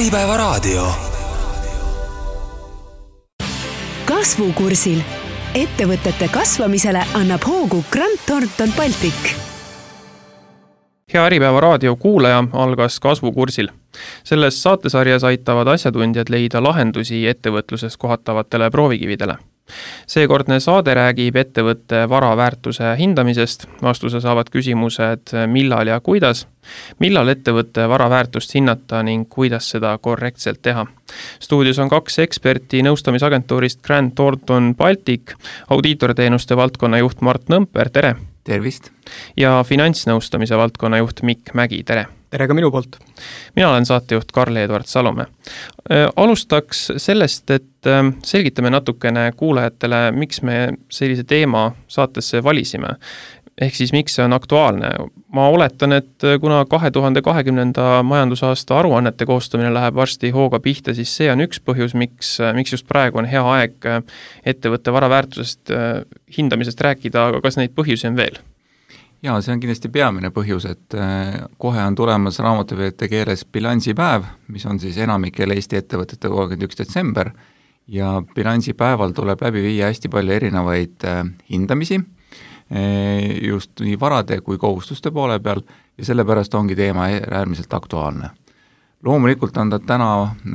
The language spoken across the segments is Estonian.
Äripäevaraadio. Kasvukursil. Ettevõtete kasvamisele annab hoogu Grant Thornton Baltic. Hea Äripäevaraadio kuulaja, algas Kasvukursil. Selles saatesarjas aitavad asjatundjad leida lahendusi ettevõtluses kohatavatele proovikividele. Seekordne saade räägib ettevõtte varaväärtuse hindamisest. Vastuse saavad küsimused millal ja kuidas. Millal ettevõtte varaväärtust hinnata ning kuidas seda korrektselt teha. Stuudios on 2 eksperti nõustamisagentuurist Grant Thornton Baltic, audiitorteenuste valdkonna juht Mart Nõmper, tere! Tervist! Ja finantsnõustamise valdkonna juht Mikk Mägi, tere! Tere ka minu poolt. Mina olen saatejuht Karl-Edvard Salome. Alustaks sellest, et selgitame natukene kuulajatele, miks me sellise teema saatesse valisime. Ehk siis miks see on aktuaalne. Ma oletan, et kuna 2020. majandusaasta aruannete koostamine läheb varsti hooga pihta, siis see on üks põhjus, miks just praegu on hea aeg ettevõtte varaväärtusest hindamisest rääkida, aga kas neid põhjusi on veel? Jaa, see on kindlasti peamine põhjus, et kohe on tulemas raamatupidajate keeles bilansipäev, mis on siis enamikel Eesti ettevõtete 31. detsember ja bilansipäeval tuleb läbi viia hästi palju erinevaid hindamisi, just nii varade kui kohustuste poole peal ja sellepärast ongi teema äärmiselt aktuaalne. Loomulikult on ta täna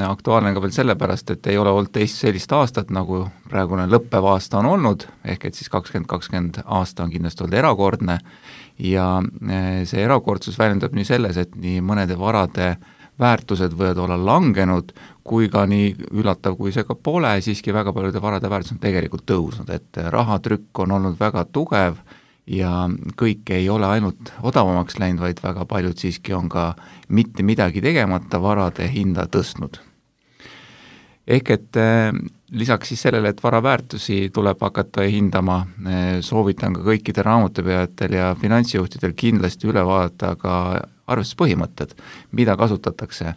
aktuaalne ka veel sellepärast, et ei ole olnud teist sellist aastat, nagu praegune lõppev aasta on olnud, ehk et siis 2020 aasta on kindlasti olnud erakordne ja see erakordsus väljendab nii selles, et nii mõnede varade väärtused võivad olla langenud, kui ka nii üllatav, kui see ka pole, siiski väga paljude varade väärtus on tegelikult tõusnud, et rahatrükk on olnud väga tugev ja kõik ei ole ainult odavamaks läinud, vaid väga paljud siiski on ka mitte midagi tegemata varade hinda tõstnud. Ehk et lisaks siis sellele, et varaväärtusi tuleb hakata hindama, soovitan ka kõikide raamatupidajatel ja finantsjuhtidel kindlasti üle vaadata ka arvestuspõhimõtted, mida kasutatakse.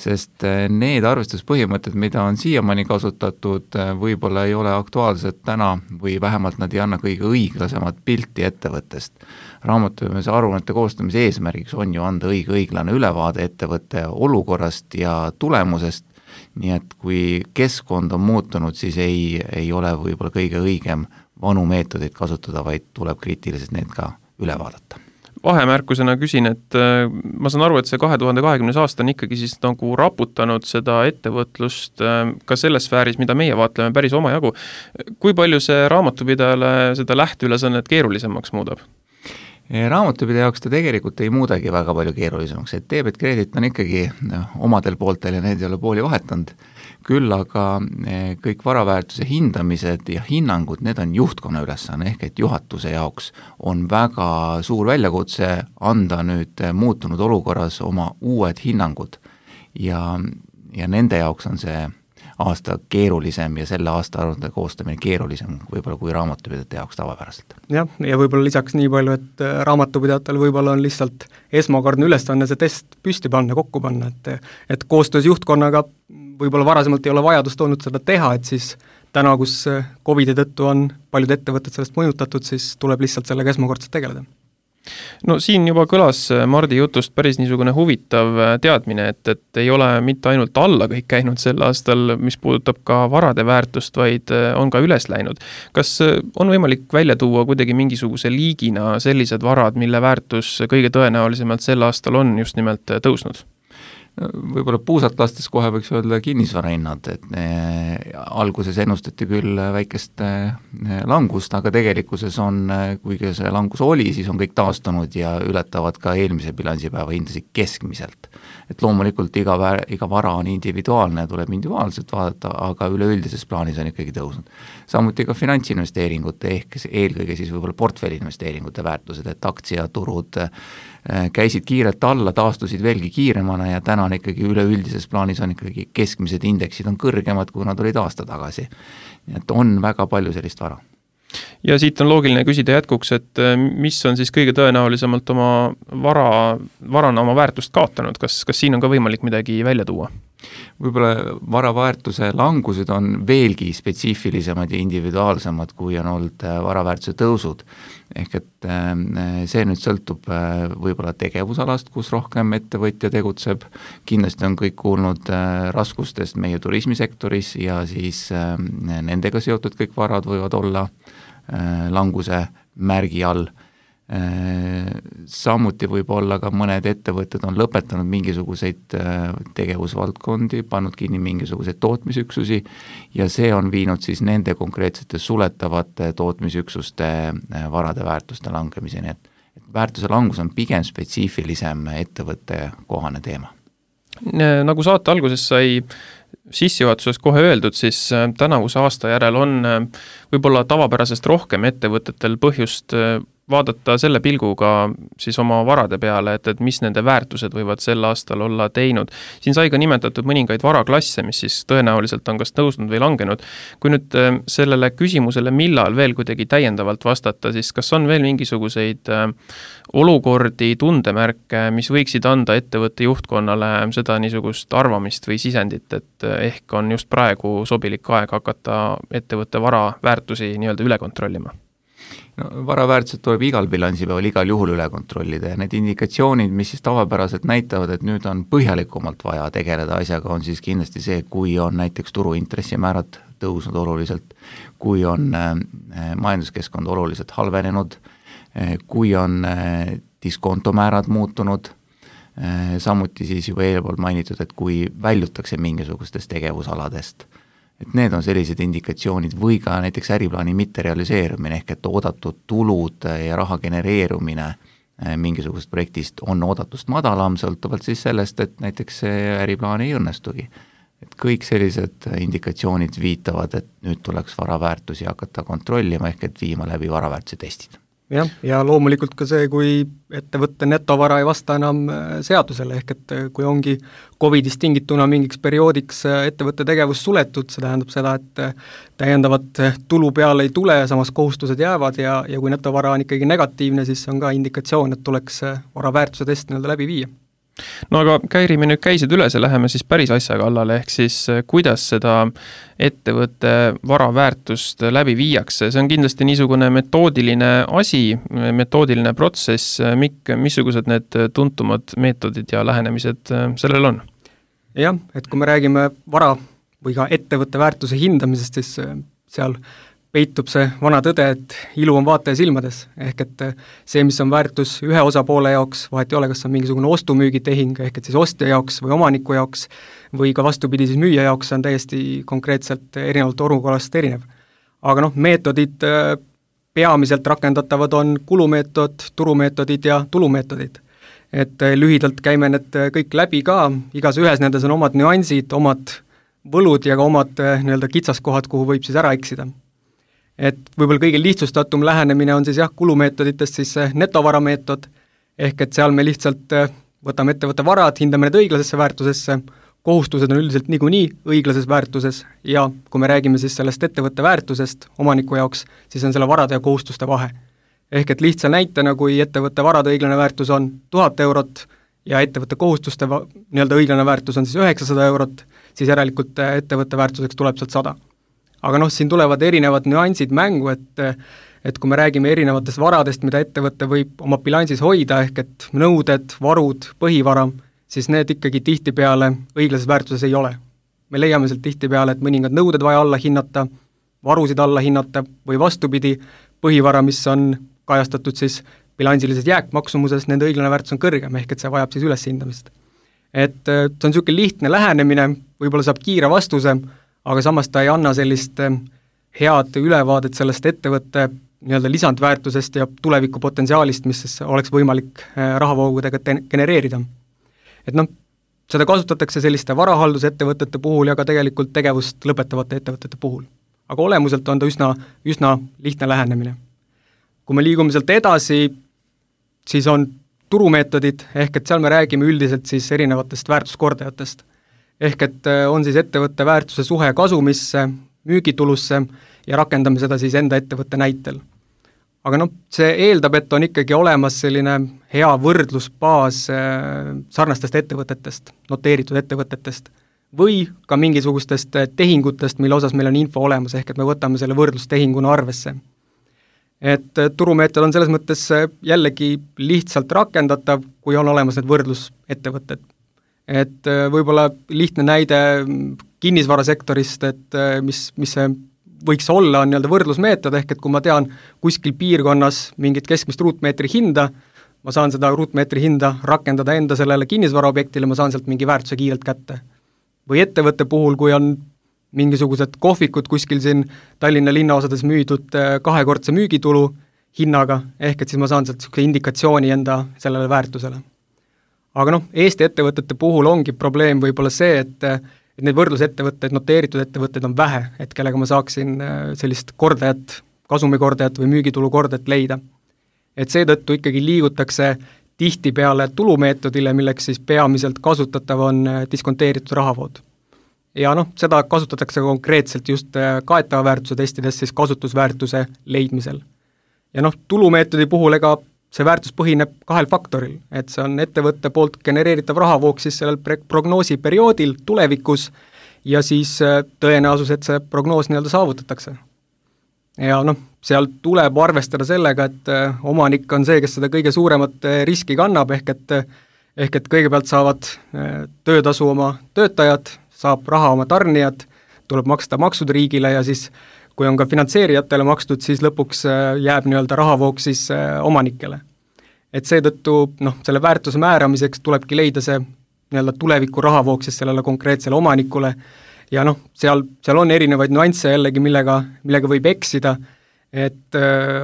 Sest need arvestuspõhimõtted, mida on siiamaani kasutatud, võib-olla ei ole aktuaalsed täna või vähemalt nad ei anna kõige õiglasemat pilti ettevõttest. Raamatupidamise aruannete koostamise eesmärgiks on ju anda õiglane ülevaade ettevõtte olukorrast ja tulemusest, nii et kui keskkond on muutunud, siis ei ole võib-olla kõige õigem vanu meetodeid kasutada, vaid tuleb kriitiliselt need ka üle vaadata. Vahemärkusena küsin, et ma saan aru, et see 2020. aasta on ikkagi siis nagu raputanud seda ettevõtlust ka selles sfääris, mida meie vaatleme päris omajagu. Kui palju see raamatupidajale seda lähteülesannet keerulisemaks muudab? Raamatupidaja jaoks ta tegelikult ei muudagi väga palju keerulisemaks, et debet kredit on ikkagi omadel pooltel ja need ei ole pooli vahetanud. Küll aga kõik varaväärtuse hindamised ja hinnangud, need on juhtkonna ülesanne, ehk et juhatuse jaoks on väga suur väljakutse anda nüüd muutunud olukorras oma uued hinnangud ja nende jaoks on see aasta keerulisem ja selle aasta aruande koostamine keerulisem võib-olla kui raamatupidajate jaoks tavapäraselt. Ja võib-olla lisaks nii palju, et raamatupidajatel võib-olla on lihtsalt esmakordne ülesanne see test püsti panna, kokku panna, et koostöös juhtkonnaga võib-olla varasemalt ei ole vajadust olnud seda teha, et siis täna, kus COVID-i tõttu on paljud ettevõtted sellest mõjutatud, siis tuleb lihtsalt sellega esmakordselt tegeleda. No siin juba kõlas Mardi jutust päris niisugune huvitav teadmine, et ei ole mitte ainult alla kõik käinud sel aastal, mis puudutab ka varade väärtust, vaid on ka üles läinud. Kas on võimalik välja tuua kuidagi mingisuguse liigina sellised varad, mille väärtus kõige tõenäolisemalt sel aastal on just nimelt tõusnud? Võib-olla puusalt lastes kohe võiks öelda kinnisvarahinnad, et alguses ennustati küll väikest langust, aga tegelikkuses on, kuigi see langus oli, siis on kõik taastunud ja ületavad ka eelmise bilansipäeva hindasid keskmiselt. Et loomulikult iga vara on individuaalne ja tuleb individuaalselt vaadata, aga üleüldises plaanis on ikkagi tõusnud. Samuti ka finantsinvesteeringute ehk eelkõige siis võib-olla portfellinvesteeringute väärtused, et aktsiaturud käisid kiirelt alla, taastusid veelgi kiiremana ja täna on ikkagi üleüldises plaanis on ikkagi keskmised indeksid on kõrgemad, kui nad olid aasta tagasi. Nii et on väga palju sellist vara. Ja siit on loogiline küsida jätkuks, et mis on siis kõige tõenäolisemalt oma varana oma väärtust kaotanud, kas siin on ka võimalik midagi välja tuua? Võib-olla varaväärtuse langused on veelgi spetsiifilisemad ja individuaalsemad, kui on olnud varaväärtuse tõusud. Ehk et see nüüd sõltub võib-olla tegevusalast, kus rohkem ettevõtja tegutseb. Kindlasti on kõik kuulnud raskustest meie turismisektoris ja siis nendega seotud kõik varad võivad olla languse märgi all. Samuti võib olla ka mõned ettevõtted on lõpetanud mingisuguseid tegevusvaldkondi, pannud kinni mingisuguseid tootmisüksusi ja see on viinud siis nende konkreetsete suletavate tootmisüksuste varade väärtuste langemiseni, et väärtuse langus on pigem spetsiifilisem ettevõtte kohane teema. Nagu saate alguses sai sissejuhatuses kohe öeldud, siis tänavuse aasta järel on võib-olla tavapärasest rohkem ettevõtetel põhjust vaadata selle pilguga siis oma varade peale, et mis nende väärtused võivad sel aastal olla teinud. Siin sai ka nimetatud mõningaid varaklasse, mis siis tõenäoliselt on kas tõusnud või langenud. Kui nüüd sellele küsimusele, millal veel kuidagi täiendavalt vastata, siis kas on veel mingisuguseid olukordi, tundemärke, mis võiksid anda ettevõtte juhtkonnale seda niisugust arvamist või sisendit, et ehk on just praegu sobilik aeg hakata ettevõtte vara väärtusi nii-öelda üle kontrollima? No, varaväärtused tuleb igal bilansipäeval igal juhul üle kontrollida ja need indikatsioonid, mis siis tavapäraselt näitavad, et nüüd on põhjalikumalt vaja tegeleda asjaga, on siis kindlasti see, kui on näiteks turuintressimäärad tõusnud oluliselt, kui on majanduskeskkond oluliselt halvenenud, kui on diskontomäärad muutunud, samuti siis juba eelpool mainitud, et kui väljutakse mingisugustest tegevusaladest. Et need on sellised indikatsioonid või ka näiteks äriplaani mitterealiseerumine ehk et oodatud tulud ja raha genereerumine mingisugust projektist on oodatust madalam, sõltuvalt siis sellest, et näiteks see äriplaan ei õnnestugi. Et kõik sellised indikatsioonid viitavad, et nüüd tuleks varaväärtusi hakata kontrollima ehk et viima läbi varaväärtuse testid. Jah, ja loomulikult ka see, kui ettevõtte netovara ei vasta enam seadusele, ehk et kui ongi COVIDist tingituna mingiks perioodiks ettevõtte tegevus suletud, see tähendab seda, et täiendavat tulu peale ei tule, samas kohustused jäävad ja kui netovara on ikkagi negatiivne, siis on ka indikatsioon, et tuleks varaväärtuse test läbi viia. No aga Käiri, me nüüd käisid üles ja läheme siis päris asja kallale, ehk siis kuidas seda ettevõtte varaväärtust läbi viiakse. See on kindlasti niisugune metoodiline asi, metoodiline protsess, missugused need tuntumad meetodid ja lähenemised sellel on? Jah, et kui me räägime vara või ka ettevõtte väärtuse hindamisest, siis seal peitub see vana tõde, et ilu on vaataja silmades, ehk et see, mis on väärtus ühe osapoole jaoks, vahet ei ole, kas on mingisugune ostu-müügitehing, ehk et siis ostja jaoks või omaniku jaoks või ka vastupidi siis müüja jaoks, on täiesti konkreetselt erinevalt olukorrast erinev. Aga meetodid peamiselt rakendatavad on kulumeetod, turumeetodid ja tulumeetodid. Et lühidalt käime need kõik läbi ka, igas ühes nendes on omad nüansid, omad võlud ja ka omad kitsaskohad, kuhu võib siis ära eksida. Et võib-olla kõige lihtsustatum lähenemine on siis kulumeetoditest siis netovarameetod, ehk et seal me lihtsalt võtame ettevõtte varad, hindame need õiglasesse väärtusesse, kohustused on üldiselt niikuinii õiglases väärtuses ja kui me räägime siis sellest ettevõtte väärtusest omaniku jaoks, siis on selle varade ja kohustuste vahe. Ehk et lihtsa näitena, kui ettevõtte varade õiglane väärtus on 1000 eurot ja ettevõtte kohustuste õiglane väärtus on siis 900 eurot, siis järelikult ettevõtte väärtuseks tuleb sealt 100. Aga siin tulevad erinevad nüansid mängu, et kui me räägime erinevatest varadest, mida ettevõte võib oma bilansis hoida, ehk et nõuded, varud, põhivara, siis need ikkagi tihtipeale õiglases väärtuses ei ole. Me leiame sealt tihtipeale, et mõningad nõuded vaja alla hinnata, varusid alla hinnata või vastupidi, põhivara, mis on kajastatud siis bilansilises jääkmaksumuses, nende õiglane väärtus on kõrgem, ehk et see vajab siis üleshindamist. Et see on niisugune lihtne lähenemine, võib-olla saab kiire vastuse, aga samas ta ei anna sellist head ülevaadet sellest ettevõtte lisandväärtusest ja tulevikupotentsiaalist, mis oleks võimalik rahavoogudega genereerida. Et seda kasutatakse selliste varahaldusettevõtete puhul ja ka tegelikult tegevust lõpetavate ettevõtete puhul. Aga olemuselt on ta üsna lihtne lähenemine. Kui me liigume sealt edasi, siis on turumeetodid, ehk et seal me räägime üldiselt siis erinevatest väärtuskordajatest. Ehk et on siis ettevõtte väärtuse suhe kasumisse, müügitulusse ja rakendame seda siis enda ettevõtte näitel. Aga see eeldab, et on ikkagi olemas selline hea võrdlusbaas sarnastest ettevõtetest, noteeritud ettevõtetest või ka mingisugustest tehingutest, mille osas meil on info olemas, ehk et me võtame selle võrdlustehinguna arvesse. Et turumeetod on selles mõttes jällegi lihtsalt rakendatav, kui on olemas need võrdlusettevõtted. Et võib-olla lihtne näide kinnisvarasektorist, et mis see võiks olla, on nii-öelda võrdlusmeetod, ehk et kui ma tean kuskil piirkonnas mingit keskmist ruutmeetri hinda, ma saan seda ruutmeetri hinda rakendada enda sellele kinnisvaraobjektile, ma saan sealt mingi väärtuse kiirelt kätte. Või ettevõtte puhul, kui on mingisugused kohvikud kuskil siin Tallinna linnaosades müüdud kahekordse müügitulu hinnaga, ehk et siis ma saan sealt indikatsiooni enda sellele väärtusele. Aga Eesti ettevõtete puhul ongi probleem võib-olla see, et neid võrdlusettevõtteid, noteeritud ettevõtteid on vähe, et kellega ma saaksin sellist kordajat, kasumikordajat või müügitulu kordajat leida. Et seetõttu ikkagi liigutakse tihtipeale tulumeetodile, milleks siis peamiselt kasutatav on diskonteeritud rahavood. Ja seda kasutatakse konkreetselt just kaetava väärtuse testides siis kasutusväärtuse leidmisel. Ja tulumeetodi puhul see väärtus põhineb 2 faktoril, et see on ettevõtte poolt genereeritav rahavoog siis sellel prognoosiperioodil tulevikus ja siis tõenäosus, et see prognoos nii-öelda saavutatakse. Ja seal tuleb arvestada sellega, et omanik on see, kes seda kõige suuremat riski kannab, ehk et kõigepealt saavad töötasu oma töötajad, saab raha oma tarnijad, tuleb maksta maksud riigile ja siis kui on ka finantseerijatele makstud, siis lõpuks jääb nii-öelda rahavoog siis omanikele. Et seetõttu selle väärtuse määramiseks tulebki leida see nii-öelda tuleviku rahavoog siis sellele konkreetsele omanikule ja seal on erinevaid nüansse jällegi, millega võib eksida, et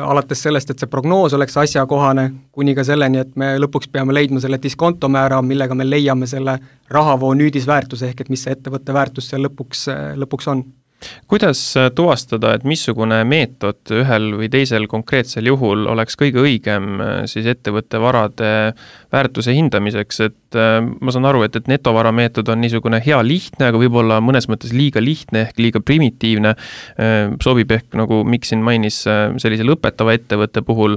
alates sellest, et see prognoos oleks asjakohane, kuni ka selleni, et me lõpuks peame leidma selle diskontomäära, millega me leiame selle rahavoo nüüdisväärtuse, ehk et mis see ettevõtte väärtus seal lõpuks on. Kuidas tuvastada, et missugune meetod ühel või teisel konkreetsel juhul oleks kõige õigem siis ettevõtte varade väärtuse hindamiseks, et ma saan aru, et netovara meetod on niisugune hea lihtne, aga võib-olla mõnes mõttes liiga lihtne ehk liiga primitiivne, sobib ehk nagu Miksin mainis sellise lõpetava ettevõtte puhul,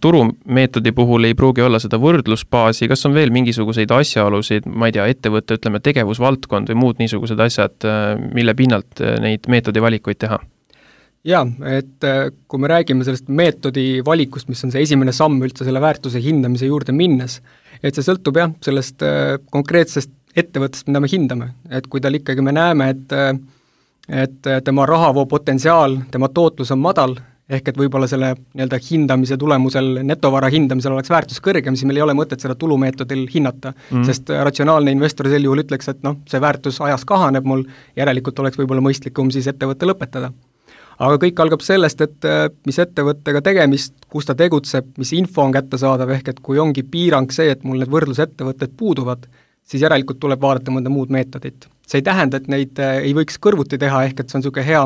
turumeetodi puhul ei pruugi olla seda võrdlusbaasi, kas on veel mingisuguseid asjaolusid, ma ei tea, ettevõtte, ütleme, tegevusvaldkond või muud niisugused asjad, mille pinnalt neid meetodi valikuid teha? Jaa, et kui me räägime sellest meetodi valikust, mis on see esimene samm üldse selle väärtuse hindamise juurde minnes, et see sõltub sellest konkreetsest ettevõttest, mida me hindame. Et kui tal ikkagi me näeme, et tema rahavoo potentsiaal, tema tootlus on madal, ehk et võib-olla selle nii-öelda hindamise tulemusel, netovara hindamisel oleks väärtus kõrgem, siis meil ei ole mõtet seda tulumeetodil hinnata, sest ratsionaalne investor sel juhul ütleks, et see väärtus ajas kahaneb mul, järelikult oleks võib-olla mõistlikum siis ettevõtte lõpetada. Aga kõik algab sellest, et mis ettevõttega tegemist, kus ta tegutseb, mis info on kättesaadav, ehk et kui ongi piirang see, et mul need võrdlusettevõtted puuduvad, siis järelikult tuleb vaadata mõnda muud meetodit. See ei tähenda, et neid ei võiks kõrvuti teha, ehk et see on niisugune hea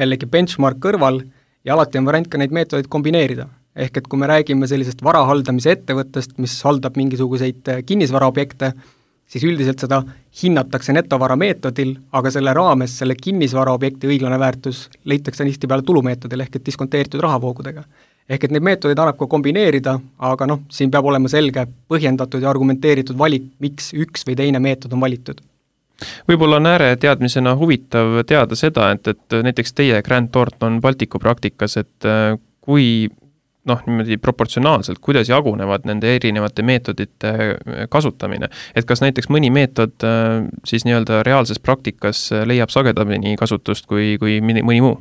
jällegi benchmark kõrval ja alati on variant ka neid meetodeid kombineerida. Ehk et kui me räägime sellisest varahaldamise ettevõttest, mis haldab mingisuguseid kinnisvaraobjekte, siis üldiselt seda hinnatakse netovara meetodil, aga selle raames selle kinnisvaraobjekti õiglane väärtus leitakse tihtipeale tulumeetodil ehk et diskonteeritud rahavoogudega. Ehk et neid meetodeid annab ka kombineerida, aga siin peab olema selge, põhjendatud ja argumenteeritud valik, miks üks või teine meetod on valitud. Võib-olla on ääre teadmisena huvitav teada seda, et näiteks teie Grant Thornton Balticu praktikas, et kui niimoodi proportsionaalselt, kuidas jagunevad nende erinevate meetodite kasutamine. Et kas näiteks mõni meetod siis nii-öelda reaalses praktikas leiab sagedamini kasutust kui mõni muu?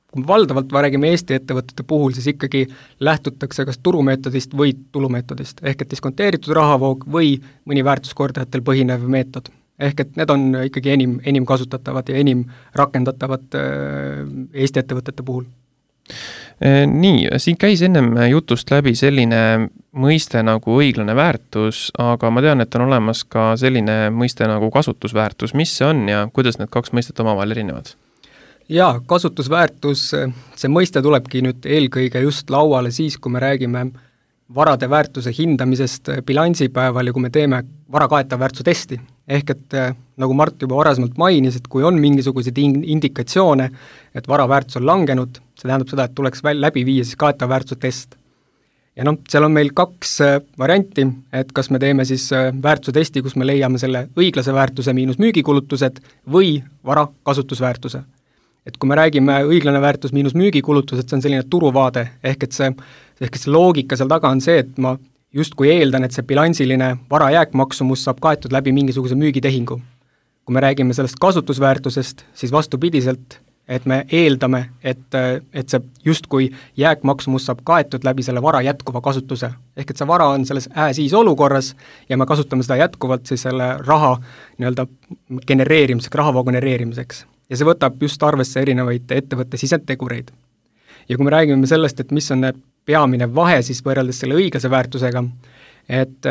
Kui valdavalt räägime Eesti ettevõtete puhul, siis ikkagi lähtutakse kas turumeetodist või tulumeetodist, ehk et diskonteeritud rahavoog või mõni väärtuskordajatel põhinev meetod. Ehk et need on ikkagi enim kasutatavad ja enim rakendatavad Eesti ettevõtete puhul. Nii, siin käis ennem jutust läbi selline mõiste nagu õiglane väärtus, aga ma tean, et on olemas ka selline mõiste nagu kasutusväärtus. Mis see on ja kuidas need kaks mõistet omavahel erinevad? Jaa, kasutusväärtus, see mõiste tulebki nüüd eelkõige just lauale siis, kui me räägime varade väärtuse hindamisest bilansipäeval ja kui me teeme varakaetav väärtuse testi. Ehk et nagu Mart juba varasemalt mainis, et kui on mingisuguseid indikatsioone, et vara väärtus on langenud, see tähendab seda, et tuleks läbi viia siis kaetav väärtuse test. ja seal on meil 2 varianti, et kas me teeme siis väärtuse testi, kus me leiame selle õiglase väärtuse miinus müügikulutused või vara kasutusväärtuse. Et kui me räägime õiglane väärtus miinus müügikulutused, see on selline turuvaade, ehk et see loogika seal taga on see, et ma justkui eeldan, et see bilansiline vara jääkmaksumus saab kaetud läbi mingisuguse müügitehingu. Kui me räägime sellest kasutusväärtusest, siis vastupidiselt, et me eeldame, et see justkui jääkmaksumus saab kaetud läbi selle vara jätkuva kasutuse. Ehk et see vara on selles siis olukorras ja me kasutame seda jätkuvalt siis selle raha genereerimiseks, rahavoo genereerimiseks. Ja see võtab just arvesse erinevaid ettevõtte sisentegureid. Ja kui me räägime sellest, et mis on peamine vahe siis võrreldes selle õiglase väärtusega, et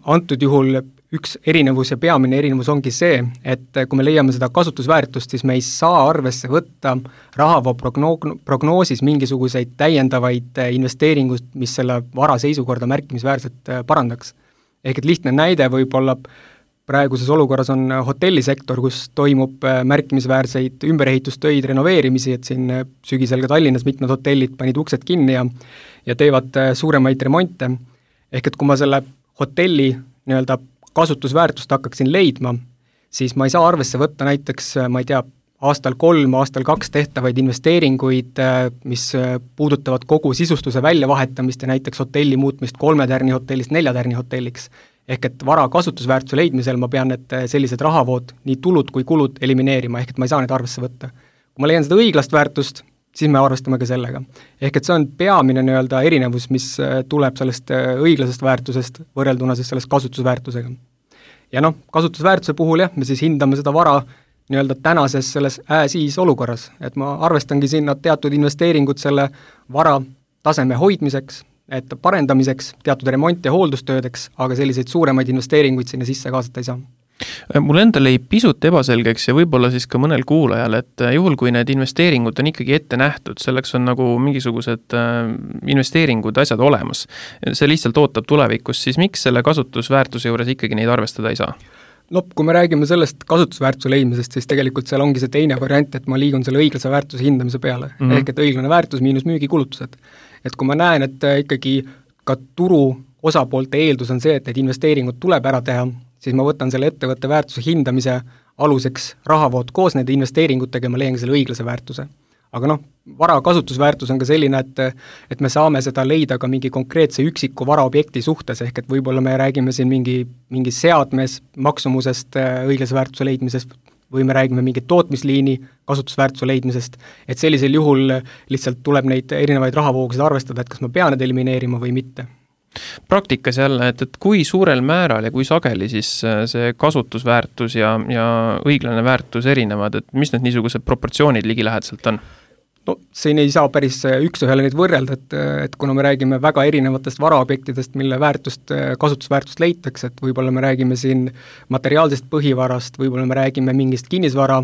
antud juhul üks erinevus ja peamine erinevus ongi see, et kui me leiame seda kasutusväärtust, siis me ei saa arvesse võtta rahavoo prognoosis mingisuguseid täiendavaid investeeringuid, mis selle vara seisukorda märkimisväärselt parandaks. Ehk et lihtne näide võib-olla praeguses olukorras on hotellisektor, kus toimub märkimisväärseid ümberehitustöid, renoveerimisi, et siin sügisel ka Tallinnas mitmed hotellid panid uksed kinni ja teevad suuremaid remonte. Ehk et kui ma selle hotelli kasutusväärtust hakkaksin leidma, siis ma ei saa arvesse võtta näiteks, ma ei tea, aastal 3, aastal 2 tehtavaid investeeringuid, mis puudutavad kogu sisustuse väljavahetamist ja näiteks hotelli muutmist 3 tärni hotellist 4 tärni hotelliks. Ehk et vara kasutusväärtuse leidmisel ma pean need sellised rahavood, nii tulud kui kulud elimineerima, ehk et ma ei saa neid arvesse võtta. Kui ma leian seda õiglast väärtust, siis me arvestame ka sellega. Ehk et see on peamine erinevus, mis tuleb sellest õiglasest väärtusest võrrelduna siis sellest kasutusväärtusega. Ja kasutusväärtuse puhul me siis hindame seda vara tänases selles siis olukorras, et ma arvestangi sinna teatud investeeringud selle vara taseme hoidmiseks, et parendamiseks, teatud remont- ja hooldustöödeks, aga selliseid suuremaid investeeringuid sinna sisse kaasata ei saa. Mul endal jäi pisut ebaselgeks ja võib-olla siis ka mõnel kuulajal, et juhul kui need investeeringud on ikkagi ette nähtud, selleks on nagu mingisugused investeeringud, asjad olemas, see lihtsalt ootab tulevikus, siis miks selle kasutusväärtuse juures ikkagi neid arvestada ei saa? Kui me räägime sellest kasutusväärtuse leidmisest, siis tegelikult seal ongi see teine variant, et ma liigun selle õiglase väärtuse hindamise peale, ehk et õiglane väärtus miinus müügikulutused. Et kui ma näen, et ikkagi ka turu osapoolte eeldus on see, et need investeeringud tuleb ära teha, siis ma võtan selle ettevõtte väärtuse hindamise aluseks rahavood koos nende investeeringutega ja ma leian selle õiglase väärtuse. Aga vara kasutusväärtus on ka selline, et me saame seda leida ka mingi konkreetse üksiku varaobjekti suhtes, ehk et võib-olla me räägime siin mingi seadmes maksumusest õiglase väärtuse leidmisest või me räägime mingi tootmisliini kasutusväärtuse leidmisest, et sellisel juhul lihtsalt tuleb neid erinevaid rahavoogusid arvestada, et kas ma pean need elimineerima või mitte. Praktikas jälle, et kui suurel määral ja kui sageli siis see kasutusväärtus ja õiglane väärtus erinevad, et mis need niisugused proportsioonid ligilähedaselt on? Siin ei saa päris üks-ühele neid võrrelda, et kuna me räägime väga erinevatest varaobjektidest, mille kasutusväärtust leitakse, et võib-olla me räägime siin materiaalsest põhivarast, võib-olla me räägime mingist kinnisvara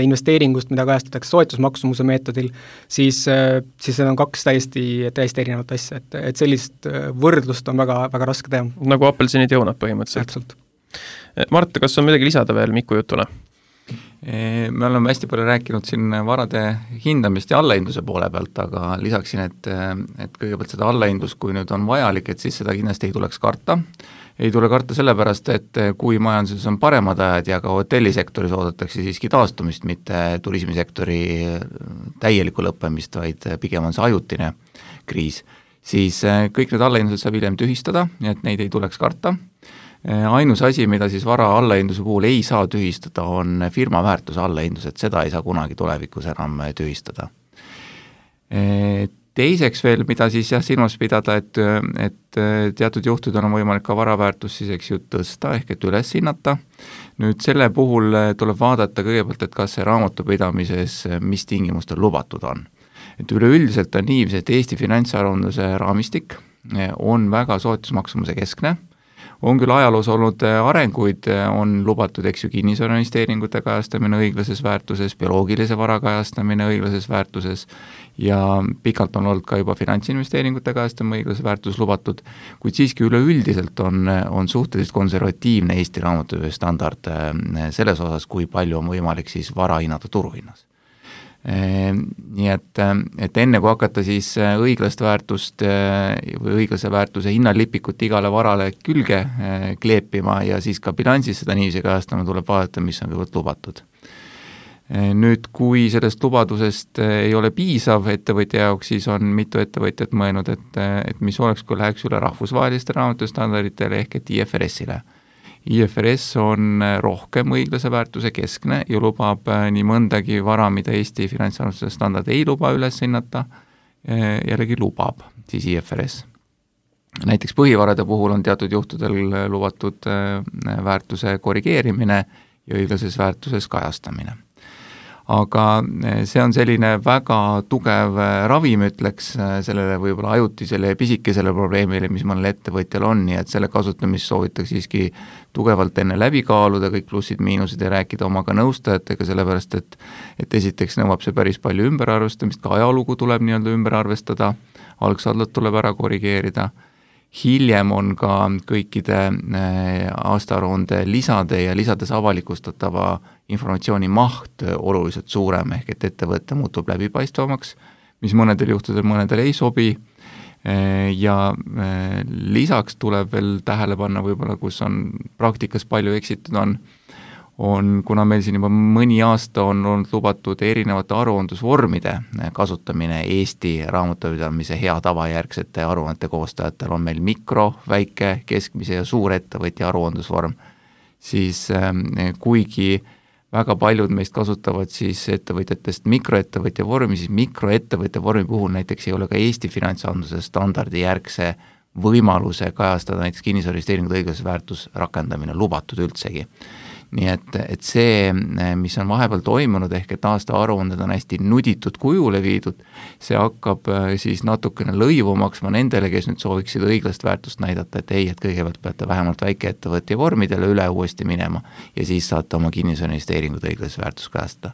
investeeringust, mida kajastatakse soetusmaksumuse meetodil, siis see on 2 täiesti erinevat asja, et sellist võrdlust on väga, väga raske teha. Nagu apelsinid ja õunad põhimõtteliselt. Mart, kas on midagi lisada veel Miku jutule? Me oleme hästi palju rääkinud siin varade hindamist ja allahindluse poole pealt, aga lisaksin, et kõigepealt seda allahindlust, kui nüüd on vajalik, et siis seda kindlasti ei tuleks karta. Ei tule karta sellepärast, et kui majanduses on paremad ajad ja ka hotellisektoris oodatakse siiski taastumist, mitte turismisektori täielikku lõppemist, vaid pigem on see ajutine kriis, siis kõik need allahindlused saab hiljem tühistada, nii et neid ei tuleks karta. Ainus asi, mida siis vara allahindluse puhul ei saa tühistada, on firma väärtuse allahindlus, et seda ei saa kunagi tulevikus enam tühistada. Teiseks veel, mida siis silmas pidada, et teatud juhtudel on võimalik ka vara väärtus siis tõsta ehk et üles hinnata. Nüüd selle puhul tuleb vaadata kõigepealt, et kas see raamatupidamises mis tingimustel lubatud on. Et üleüldiselt on nii, et Eesti finantsaruandluse raamistik on väga soetusmaksumuse keskne. On küll ajaloos olnud arenguid, on lubatud kinnisvarainvesteeringute kajastamine õiglases väärtuses, bioloogilise vara kajastamine õiglases väärtuses ja pikalt on olnud ka juba finantsinvesteeringute kajastamine õiglases väärtuses lubatud, kuid siiski üleüldiselt on suhteliselt konservatiivne Eesti raamatupidamise standard selles osas, kui palju on võimalik siis vara hinnata turuhinnas. Nii et enne kui hakata siis õiglast väärtust või õiglase väärtuse hinnalipikut igale varale külge kleepima ja siis ka bilansis seda niiviisi kajastama, tuleb vaadata, mis on kõigepealt lubatud. Nüüd, kui sellest lubadusest ei ole piisav ettevõtja jaoks, siis on mitu ettevõtjat mõelnud, et mis oleks, kui läheks üle rahvusvaheliste raamatustandarditele ehk et IFRS-ile. IFRS on rohkem õiglase väärtuse keskne ja lubab nii mõndagi vara, mida Eesti finantsarvestuse standard ei luba üles hinnata, jällegi lubab siis IFRS. Näiteks põhivarade puhul on teatud juhtudel lubatud väärtuse korrigeerimine ja õiglases väärtuses kajastamine. Aga see on selline väga tugev ravim, ütleks sellele võib-olla ajutisele ja pisikesele probleemile, mis mõnel ettevõtjal on, nii et selle kasutamist soovitakse siiski tugevalt enne läbi kaaluda, kõik plussid-miinused ja rääkida omaga nõustajatega, sellepärast et esiteks nõuab see päris palju ümberarvestamist, ka ajalugu tuleb nii-öelda ümber arvestada, algsaldot tuleb ära korrigeerida. Hiljem on ka kõikide aastaaruande lisade ja lisades avalikustatava informatsiooni maht oluliselt suurem, ehk et ettevõte muutub läbipaistvamaks, mis mõnedel juhtudel mõnedel ei sobi ja lisaks tuleb veel tähele panna võib-olla, kus on praktikas palju eksitud on, kuna meil siin juba mõni aasta on olnud lubatud erinevate aruandlusvormide kasutamine Eesti raamatupidamise hea tavajärgsete aruannete koostajatel, on meil mikro, väike, keskmise ja suurettevõtja aruandlusvorm, siis kuigi väga paljud meist kasutavad siis ettevõtjatest mikroettevõtja vormi, siis mikroettevõtja vormi puhul näiteks ei ole ka Eesti finantsandluse standardi järgse võimaluse kajastada näiteks kinnisvarainvesteeringute õiglase väärtus rakendamine lubatud üldsegi. Nii et see, mis on vahepeal toimunud, ehk et aasta aruanded on hästi nuditud kujule viidud, see hakkab siis natukene lõivu maksma nendele, kes nüüd sooviksid õiglast väärtust näidata, et ei, et kõigepealt peate vähemalt väikeettevõtja vormidele üle uuesti minema ja siis saate oma kinnisvarainvesteeringud õiglast väärtust kajastada.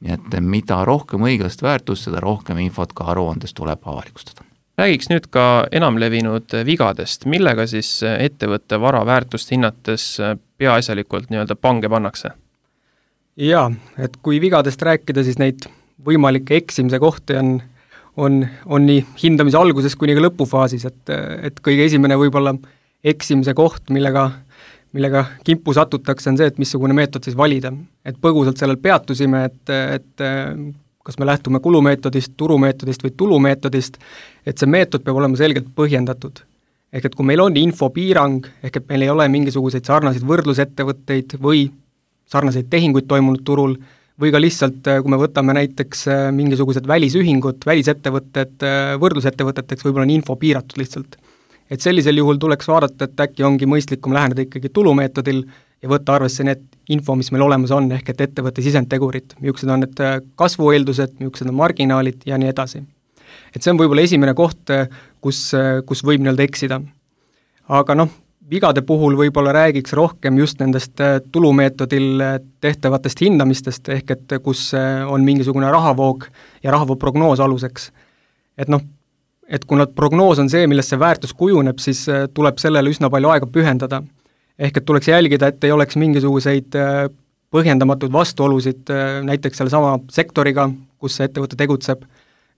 Nii et mida rohkem õiglast väärtust, seda rohkem infot ka aruandes tuleb avalikustada. Räägiks nüüd ka enamlevinud vigadest, millega siis ettevõtte vara väärtust hinnates peaasjalikult nii-öelda pange pannakse? Jaa, et kui vigadest rääkida, siis neid võimalikke eksimise kohti on nii hindamise alguses kuni ka lõpufaasis, et kõige esimene võib-olla eksimise koht, millega kimpu satutakse, on see, et missugune meetod siis valida. Et põgusalt sellel peatusime, et kas me lähtume kulumeetodist, turumeetodist või tulumeetodist, et see meetod peab olema selgelt põhjendatud. Ehk et kui meil on infopiirang, ehk et meil ei ole mingisuguseid sarnaseid võrdlusettevõtteid või sarnaseid tehinguid toimunud turul, või ka lihtsalt, kui me võtame näiteks mingisugused välisühingud, välisettevõtted, võrdlusettevõteteks, võib-olla on info piiratud lihtsalt. Et sellisel juhul tuleks vaadata, et äkki ongi mõistlikum läheneda ikkagi tulumeetodil ja võtta arvesse need info, mis meil olemas on, ehk et ettevõtte sisendtegurid, millised on need kasvueeldused, millised on marginaalid ja nii edasi. Et see on võib-olla esimene koht, kus võib nii-öelda eksida. Aga vigade puhul võib-olla räägiks rohkem just nendest tulumeetodil tehtavatest hindamistest, ehk et kus on mingisugune rahavoog ja rahavoog prognoos aluseks. Et kuna prognoos on see, millest see väärtus kujuneb, siis tuleb sellele üsna palju aega pühendada. Ehk et tuleks jälgida, et ei oleks mingisuguseid põhjendamatuid vastuolusid näiteks selle sama sektoriga, kus see ettevõte tegutseb,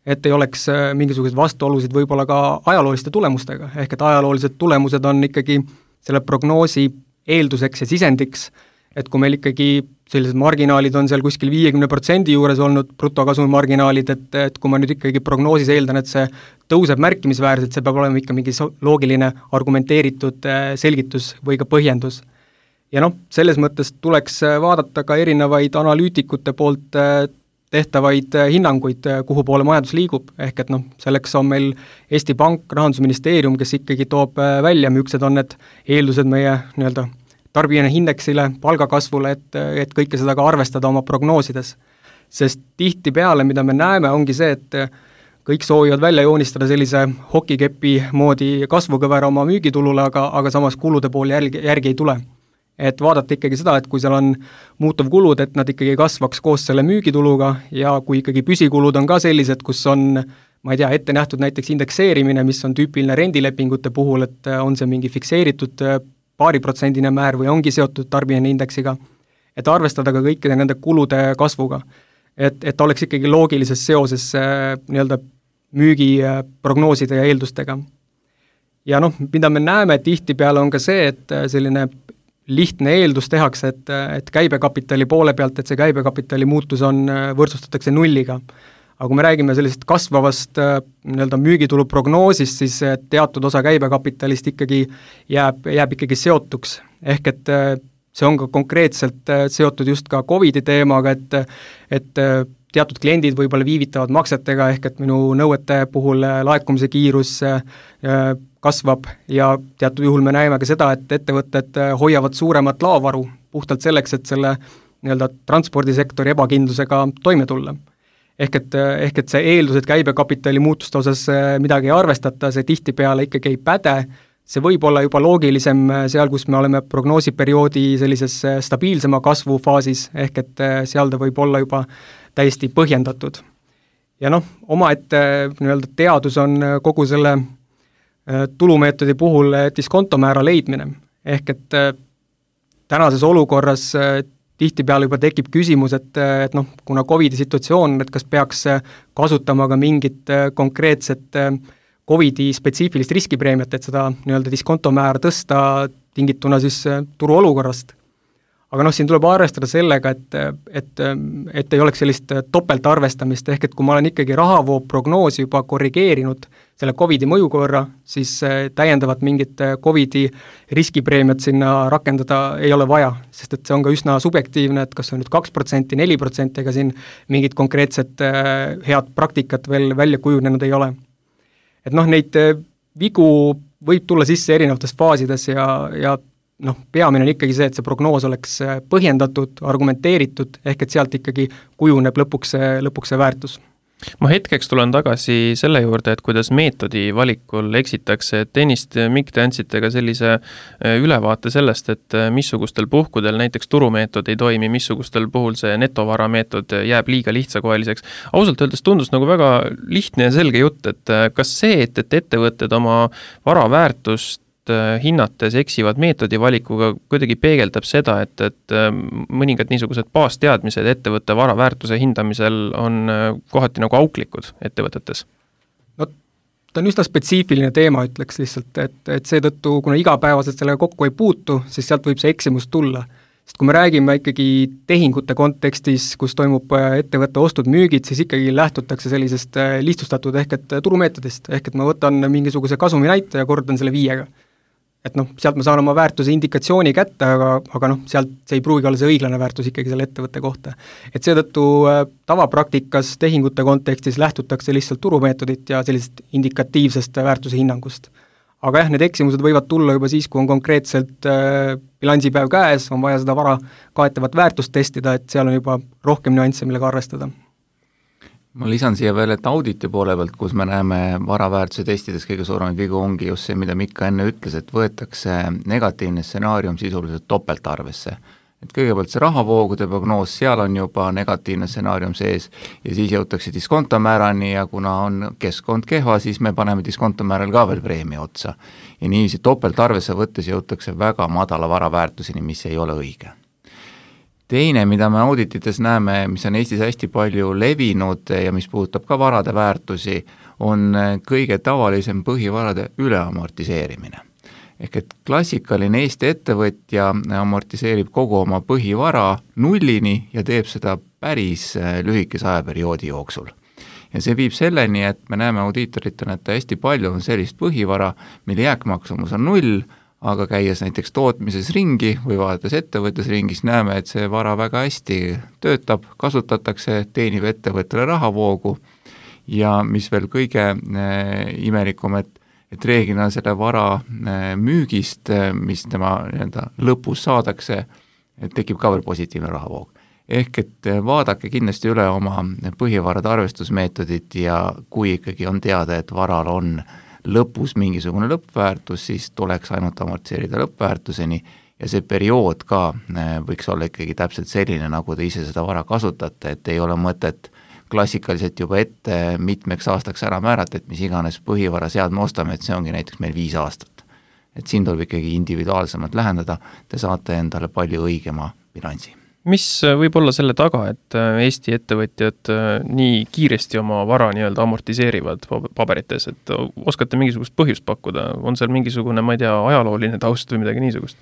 et ei oleks mingisuguseid vastuolusid võib-olla ka ajalooliste tulemustega, ehk et ajaloolised tulemused on ikkagi selle prognoosi eelduseks ja sisendiks, et kui meil ikkagi sellised marginaalid on seal kuskil 50% juures olnud, brutokasumi marginaalid, et kui ma nüüd ikkagi prognoosis eeldan, et see tõuseb märkimisväärselt, see peab olema ikka mingi loogiline argumenteeritud selgitus või ka põhjendus. Ja selles mõttes tuleks vaadata ka erinevaid analüütikute poolt tehtavaid hinnanguid, kuhu poole majandus liigub, ehk et selleks on meil Eesti Pank, Rahandusministeerium, kes ikkagi toob välja, millised on need eeldused meie nii-öelda tarbijana indeksile, palgakasvule, et kõike seda ka arvestada oma prognoosides. Sest tihtipeale, mida me näeme, ongi see, et kõik soovivad välja joonistada sellise hokikepi moodi kasvukõvera oma müügitulule, aga samas kulude pool järgi ei tule. Et vaadata ikkagi seda, et kui seal on muutuv kulud, et nad ikkagi kasvaks koos selle müügituluga ja kui ikkagi püsikulud on ka sellised, kus on, ma ei tea, ette nähtud näiteks indekseerimine, mis on tüüpiline rendilepingute puhul, et on see mingi fikseeritud paariprotsendine määr või ongi seotud tarbijana indeksiga, et arvestada ka kõikide nende kulude kasvuga. et oleks ikkagi loogilises seoses nii-öelda müügiprognooside ja eeldustega. Ja noh, mida me näeme tihtipeale on ka see, et selline lihtne eeldus tehakse, et käibekapitali poole pealt, et see käibekapitali muutus võrdsustatakse nulliga. Aga kui me räägime sellisest kasvavast nii-öelda müügitulu prognoosist, siis teatud osa käibekapitalist ikkagi jääb ikkagi seotuks. Ehk et see on ka konkreetselt seotud just ka COVID-i teemaga, et teatud kliendid võib-olla viivitavad maksetega, ehk et minu nõuete puhul laekumise kiirus kasvab ja teatud juhul me näeme ka seda, et ettevõtted hoiavad suuremat laovaru puhtalt selleks, et selle nii-öelda transpordisektori ebakindlusega toime tulla. Ehk et see eeldus, et käibekapitali muutuste osas midagi ei arvestata, see tihtipeale ikkagi ei päde, see võib olla juba loogilisem seal, kus me oleme prognoosiperioodi sellises stabiilsema kasvufaasis, ehk et seal ta võib olla juba täiesti põhjendatud. Ja noh, omaette nii-öelda teadus on kogu selle tulumeetodi puhul diskontomäära leidmine. Ehk et tänases olukorras tihtipeale juba tekib küsimus, et noh, kuna COVID-i situatsioon, et kas peaks kasutama ka mingit konkreetset COVID-i spetsiifilist riskipreemiat, et seda nii-öelda diskontomäära tõsta tingituna siis turu olukorrast. Aga noh, siin tuleb arvestada sellega, et ei oleks sellist topeltarvestamist, ehk et kui ma olen ikkagi rahavoo prognoosi juba korrigeerinud selle COVID-i mõju korra, siis täiendavat mingit COVID-i riskipreemiat sinna rakendada ei ole vaja, sest et see on ka üsna subjektiivne, et kas on nüüd 2%, 4%, ega siin mingit konkreetset head praktikat veel välja kujunenud ei ole. Et noh, neid vigu võib tulla sisse erinevates faasides ja noh, peamine on ikkagi see, et see prognoos oleks põhjendatud, argumenteeritud, ehk et sealt ikkagi kujuneb lõpuks see väärtus. Ma hetkeks tulen tagasi selle juurde, et kuidas meetodi valikul eksitakse, et ennist Mikk te andsite ka sellise ülevaate sellest, et missugustel puhkudel näiteks turumeetod ei toimi, missugustel puhul see netovara meetod jääb liiga lihtsakoeliseks. Ausalt öeldes tundus nagu väga lihtne ja selge jutt, et kas see, et ettevõtted oma vara väärtust hinnates eksivad meetodi valikuga kuidagi peegeldab seda, et mõningad niisugused baasteadmised ettevõtte vara väärtuse hindamisel on kohati nagu auklikud ettevõtetes? No ta on üsna spetsiifiline teema, ütleks lihtsalt, et seetõttu, kuna igapäevaselt sellega kokku ei puutu, siis sealt võib see eksimus tulla. Sest kui me räägime ikkagi tehingute kontekstis, kus toimub ettevõtte ostud-müügid, siis ikkagi lähtutakse sellisest lihtsustatud ehk et turumeetodist, ehk et ma võtan mingisuguse kasumi näite ja kordan selle 5-ga. Et noh, sealt ma saan oma väärtuse indikatsiooni kätte, aga noh, sealt see ei pruugi olla see õiglane väärtus ikkagi selle ettevõtte kohta. Et seetõttu tavapraktikas tehingute kontekstis lähtutakse lihtsalt turumeetodit ja sellisest indikatiivsest väärtuse hinnangust. Aga jah, need eksimused võivad tulla juba siis, kui on konkreetselt bilansipäev käes, on vaja seda vara kaetavat väärtust testida, et seal on juba rohkem nüansse, millega arvestada. Ma lisan siia veel, et auditi poole pealt, kus me näeme varaväärtuse testides kõige suuremaid vigu ongi just see, mida Mikka enne ütles, et võetakse negatiivne stsenaarium sisuliselt topeltarvesse. Et kõigepealt see rahavoogude prognoos, seal on juba negatiivne stsenaarium sees ja siis jõutakse diskontomäärani ja kuna on keskkond kehva, siis me paneme diskontomääral ka veel preemia otsa. Ja niiviisi topeltarvesse võttes jõutakse väga madala varaväärtuseni, mis ei ole õige. Teine, mida me auditites näeme, mis on Eestis hästi palju levinud ja mis puudutab ka varade väärtusi, on kõige tavalisem põhivarade üleamortiseerimine. Ehk et klassikaline Eesti ettevõtja amortiseerib kogu oma põhivara nullini ja teeb seda päris lühikese ajaperioodi jooksul. Ja see viib selleni, et me näeme audiitoritena, et hästi palju on sellist põhivara, mille jääkmaksumus on 0, aga käies näiteks tootmises ringi või vaadates ettevõttes ringis, näeme, et see vara väga hästi töötab, kasutatakse, teenib ettevõttele rahavoogu ja mis veel kõige imelikum, et reeglina selle vara müügist, mis tema lõpus saadakse, tekib ka veel positiivne rahavoog. Ehk et vaadake kindlasti üle oma põhivarade arvestusmeetodit ja kui ikkagi on teada, et varal on lõpus mingisugune lõppväärtus, siis tuleks ainult amortiseerida lõppväärtuseni ja see periood ka võiks olla ikkagi täpselt selline, nagu te ise seda vara kasutate, et ei ole mõtet klassikaliselt juba ette mitmeks aastaks ära määrata, et mis iganes põhivara seadme ostame, et see ongi näiteks meil 5 aastat. Et siin tuleb ikkagi individuaalsemalt lähendada, te saate endale palju õigema bilansi. Mis võib olla selle taga, et Eesti ettevõtjad nii kiiresti oma vara nii-öelda amortiseerivad paberites, et oskate mingisugust põhjust pakkuda? On seal mingisugune, ma ei tea, ajalooline taust või midagi niisugust?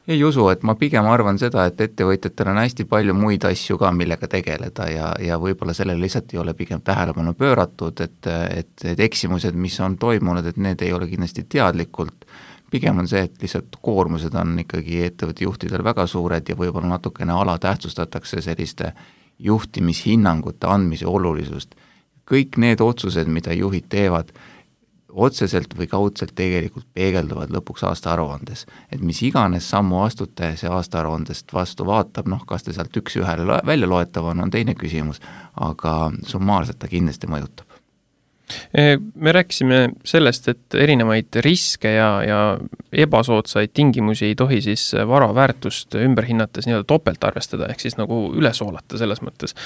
Ei usu, et ma pigem arvan seda, et ettevõtjatel on hästi palju muid asju ka, millega tegeleda ja võib-olla sellele lihtsalt ei ole pigem tähelepanu pööratud, et eksimused, mis on toimunud, et need ei ole kindlasti teadlikult. Pigem on see, et lihtsalt koormused on ikkagi ettevõtte juhtidel väga suured ja võib-olla natukene alatähtsustatakse selliste juhtimishinnangute andmise olulisust. Kõik need otsused, mida juhid teevad, otseselt või kaudselt tegelikult peegelduvad lõpuks aastaaruandes. Et mis iganes sammu astute see aastaaruandest vastu vaatab, kas te sealt üks-ühele välja loetav on teine küsimus, aga summaarselt ta kindlasti mõjutab. Me rääkisime sellest, et erinevaid riske ja ebasoodsaid tingimusi ei tohi siis vara väärtust ümber hinnates nii-öelda topelt arvestada, ehk siis nagu üle soolata selles mõttes.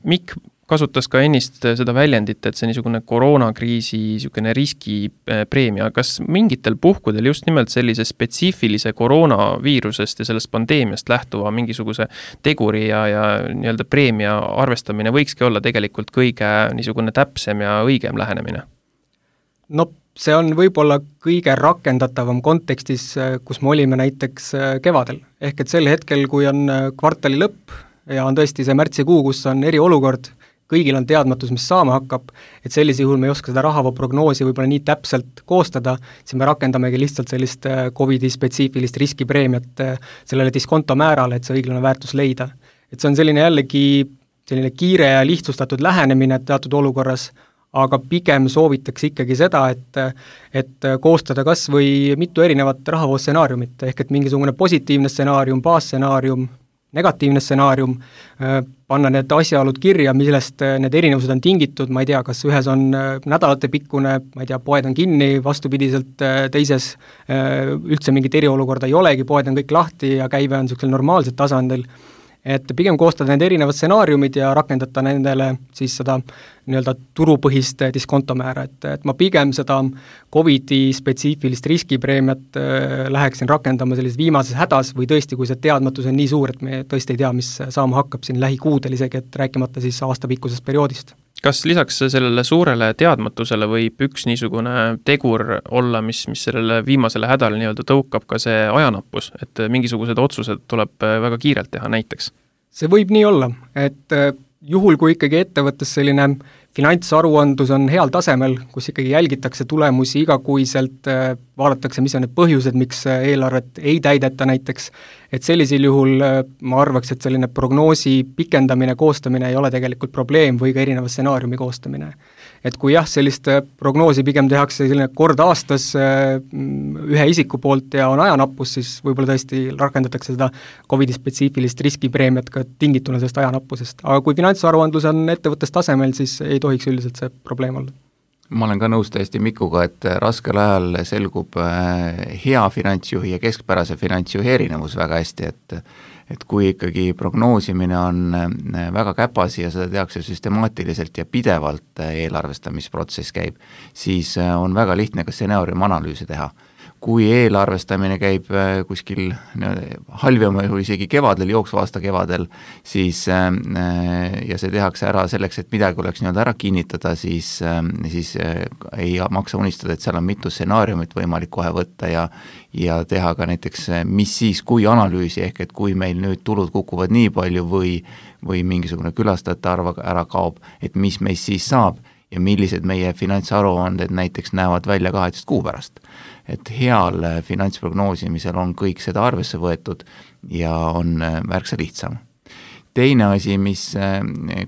Mikk kasutas ka ennist seda väljendit, et see niisugune koroonakriisi niisugune riskipreemia. Kas mingitel puhkudel just nimelt sellise spetsiifilise koroonaviirusest ja sellest pandeemiast lähtuva mingisuguse teguri ja nii-öelda preemia arvestamine võikski olla tegelikult kõige niisugune täpsem ja õigem lähenemine? No see on võib-olla kõige rakendatavam kontekstis, kus me olime näiteks kevadel. Ehk et sel hetkel, kui on kvartali lõpp ja on tõesti see märtsikuu, kus on eriolukord, kõigil on teadmatus, mis saama hakkab, et sellise juhul me ei oska seda rahavoprognoosi võib-olla nii täpselt koostada, siis me rakendamegi lihtsalt sellist COVID-i spetsiifilist riskipreemiat sellele diskontomäärale, et see õiglane väärtus leida. Et see on selline jällegi selline kiire ja lihtsustatud lähenemine teatud olukorras, aga pigem soovitaks ikkagi seda, et koostada kas või mitu erinevat rahavoostsenaariumit, ehk et mingisugune positiivne stsenaarium, baasstsenaarium, negatiivne stsenaarium, panna need asjaolud kirja, millest need erinevused on tingitud, ma ei tea, kas ühes on nädalate pikkune, ma ei tea, poed on kinni, vastupidiselt teises üldse mingit eriolukorda ei olegi, poed on kõik lahti ja käive on niisugusel normaalsel tasandil, et pigem koostada need erinevad stsenaariumid ja rakendada nendele siis seda nii-öelda turupõhist diskontomäära, et ma pigem seda COVID-i spetsiifilist riskipreemiat läheksin rakendama sellises viimases hädas või tõesti, kui see teadmatus on nii suur, et me tõesti ei tea, mis saama hakkab siin lähikuudel isegi, et rääkimata siis aastapikkusest perioodist. Kas lisaks sellele suurele teadmatusele võib üks niisugune tegur olla, mis sellele viimasele hädale nii-öelda tõukab ka see ajanappus, et mingisugused otsused tuleb väga kiirelt teha näiteks? See võib nii olla, et juhul, kui ikkagi ettevõttes selline finantsaruandlus on heal tasemel, kus ikkagi jälgitakse tulemusi igakuiselt, vaadatakse, mis on need põhjused, miks eelarvet ei täideta näiteks, et sellisel juhul ma arvaks, et selline prognoosi pikendamine, koostamine ei ole tegelikult probleem või ka erineva stsenaariumi koostamine. Et kui jah, sellist prognoosi pigem tehakse selline kord aastas ühe isiku poolt ja on ajanappus, siis võib-olla tõesti rakendatakse seda COVID-i spetsiifilist riskipreemiat ka tingituna sellest ajanappusest. Aga kui finantsaruandlus on ettevõttes tasemel, siis ei tohiks üldiselt see probleem olla. Ma olen ka nõus täiesti Mikuga, et raskel ajal selgub hea finantsjuhi ja keskpärase finantsjuhi erinevus väga hästi, et kui ikkagi prognoosimine on väga käpasi ja seda tehakse süstemaatiliselt ja pidevalt eelarvestamisprotsess käib, siis on väga lihtne ka stsenaariumi analüüsi teha. Kui eelarvestamine käib kuskil halvema juhul isegi kevadel, jooksva aasta kevadel, siis ja see tehakse ära selleks, et midagi oleks nii-öelda ära kinnitada, siis ei maksa unistada, et seal on mitu stsenaariumit võimalik kohe võtta ja teha ka näiteks, mis siis, kui analüüsi, ehk et kui meil nüüd tulud kukuvad nii palju või mingisugune külastajate arv ära kaob, et mis meist siis saab ja millised meie finantsaruanded näiteks näevad välja 12 kuu pärast. Et heal finantsprognoosimisel on kõik seda arvesse võetud ja on märksa lihtsam. Teine asi,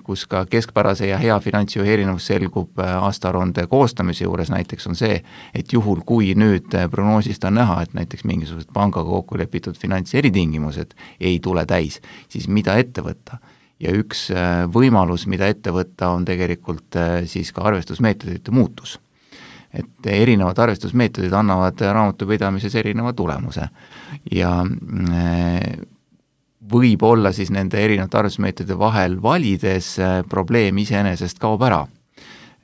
kus ka keskpärase ja hea finantsjuhi erinevus selgub aastaaruande koostamise juures näiteks on see, et juhul kui nüüd prognoosist on näha, et näiteks mingisugused pangaga kokku lepitud finantseritingimused ei tule täis, siis mida ette võtta? Ja üks võimalus, mida ette võtta, on tegelikult siis ka arvestusmeetodite muutus. Et erinevad arvestusmeetodid annavad raamatupidamises erineva tulemuse ja võib olla siis nende erinevate arvestusmeetodide vahel valides probleem iseenesest kaob ära.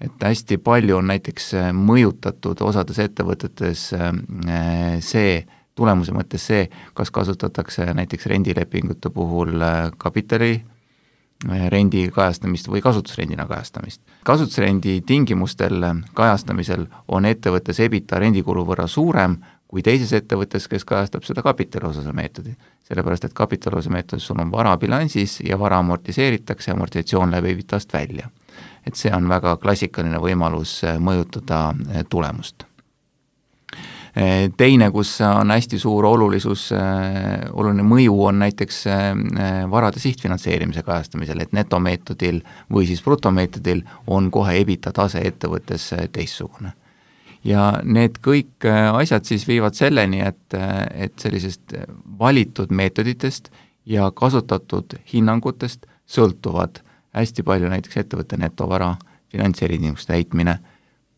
Et hästi palju on näiteks mõjutatud osades ettevõtetes see tulemuse mõttes see, kas kasutatakse näiteks rendilepingute puhul kapitali rendi kajastamist või kasutusrendina kajastamist. Kasutusrendi tingimustel kajastamisel on ettevõttes EBITDA rendikulu võrra suurem kui teises ettevõttes, kes kajastab seda kapitaliosa meetodi. Sellepärast, et kapitaliosa meetodis sul on vara bilansis ja vara amortiseeritakse, amortisatsioon läbi EBITDA-st välja. Et see on väga klassikaline võimalus mõjutada tulemust. Teine, kus on hästi suur oluline mõju, on näiteks varade sihtfinantseerimise kajastamisel, et netomeetodil või siis brutomeetodil on kohe EBITDA tase ettevõttes teistsugune. Ja need kõik asjad siis viivad selleni, et sellisest valitud meetoditest ja kasutatud hinnangutest sõltuvad hästi palju näiteks ettevõtte netovara, finantseritingimuste täitmine,